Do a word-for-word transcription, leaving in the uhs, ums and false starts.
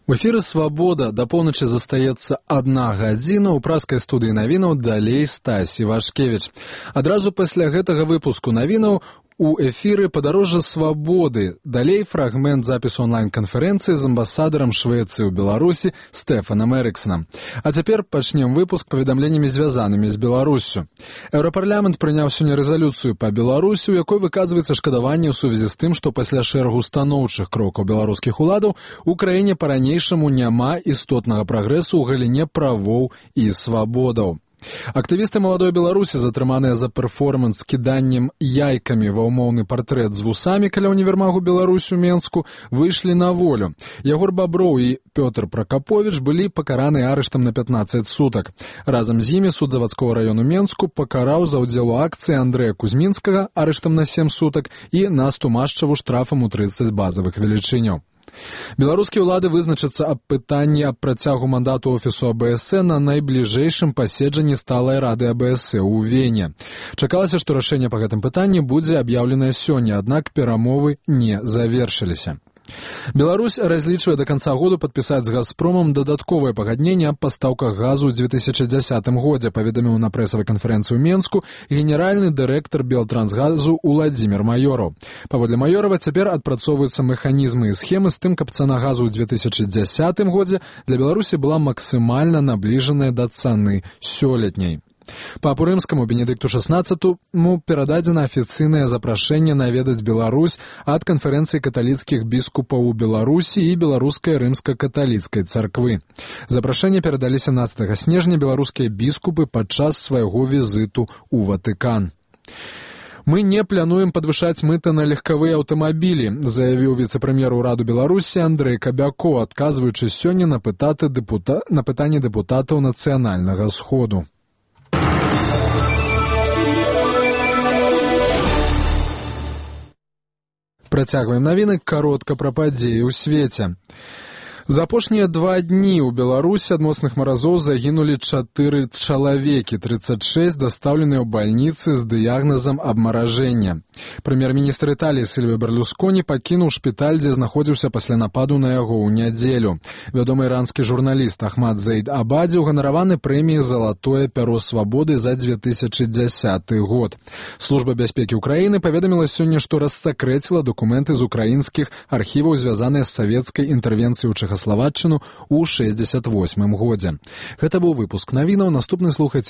У эфіры «Свабода» да поўначы застаецца адна гадзіна. У праскай студыі навінаў далей Стасі Вашкевіч. Адразу пасля гэтага выпуску навінаў у эфіры «Падарожжа свабоды». Далей фрагмент запісу онлайн-канферэнцыі з амбасадарам Швецыі ў Беларусі Стэфанам Эрыксанам. А цяпер пачнем выпуск паведамленнямі, звязанымі з Беларуссю. Еўрапарламент прыняў сёння рэзалюцыю па Беларусі, у якой выказваецца шкадаванне ў сувязі з тым, што пасля шэрагу станоўчых крокаў беларускіх уладаў у краіне па-ранейшаму няма істотнага прагрэсу ў галіне правоў і свабодаў. Актывісты маладой Беларусі, затрыманыя за перформанс з кіданнем яйкамі ва ўмоўны партрэт з вусамі каля універмагу Беларусь у Менску, выйшлі на волю. Ягор Баброў і Пётр Пракаповіч былі пакараны арыштам на пятнаццаць сутак. Разам з імі суд завадскога раёну Менску пакараў за ўдзел у акцыі Андрэя Кузьмінскага арыштам на сем сутак і Насту Машчаву штрафам у трыццаць базавых велічыняў. Беларускія ўлады вызначацца аб пытанні аб працягу мандату офісу АБС на найбліжэйшым паседжанні сталай рады АБС ў Вене. Чакалася, што рашэнне па гэтым пытанні будзе аб'яўленае сёння, аднак перамовы не завершыліся. Беларусь разлічвае да канца году падпісаць з «Газпромам» дадатковае пагадненне аб пастаўках газу ў дзве тысячы дзясятым годзе, паведаміў на прэсавай канферэнцыі ў Менску генеральны дырэктар Белтрансгазу Уладзімір Маёраў. Паводле Маёрава, цяпер адпрацоўваюцца механізмы і схемы з тым, каб цана газу ў дзве тысячы дзясятым годзе для Беларусі была максімальна набліжаная да цаны сёлетняй. Папу рымскаму Бенедыкту шаснаццатаму перададзена афіцыйнае запрашэнне наведаць Беларусь ад канферэнцыі каталіцкіх біскупаў у Беларусі і беларускай рымска-каталіцкай царквы. Запрашэнне перадалі сямнаццатага снежня беларускія біскупы падчас свайго візіту ў Ватыкан. «Мы не плануем падвышаць мыта на легкавыя аўтамабілі», заявіў віцэ-прэм'ер ураду Беларусі Андрэй Кабякоў, адказваючы сёння на пытанні дэпута... на пытанні дэпутатаў нацыянальнага сходу. Працягваем навіны каротка пра падзеі ў свеце. За апошнія два дні ў Беларусі ад моцных маразоў загінулі чатыры чалавекі, трыццаць шэсць дастаўленыя ў бальніцы з дыягназам абмаражэння. Прэм'ер-міністр Італіі Сільвіо Берлусконі пакінуў шпіталь, дзе знаходзіўся пасля нападу на яго ў нядзелю. Вядомы іранскі журналіст Ахмад Зейд Абадзі ўганараваны прэміяй «Залатое пяро свабоды» за дзве тысячы дзясяты год. Служба бяспекі ўкраіны паведаміла сёння, што рассакрэціла дакументы з украінскіх архіваў, звязаныя з савецкай інтэрвенцыяй у Чэхаславаччыну ў шэсцьдзесят восьмым годзе. Гэта быў выпуск навінаў. Наступны слухайце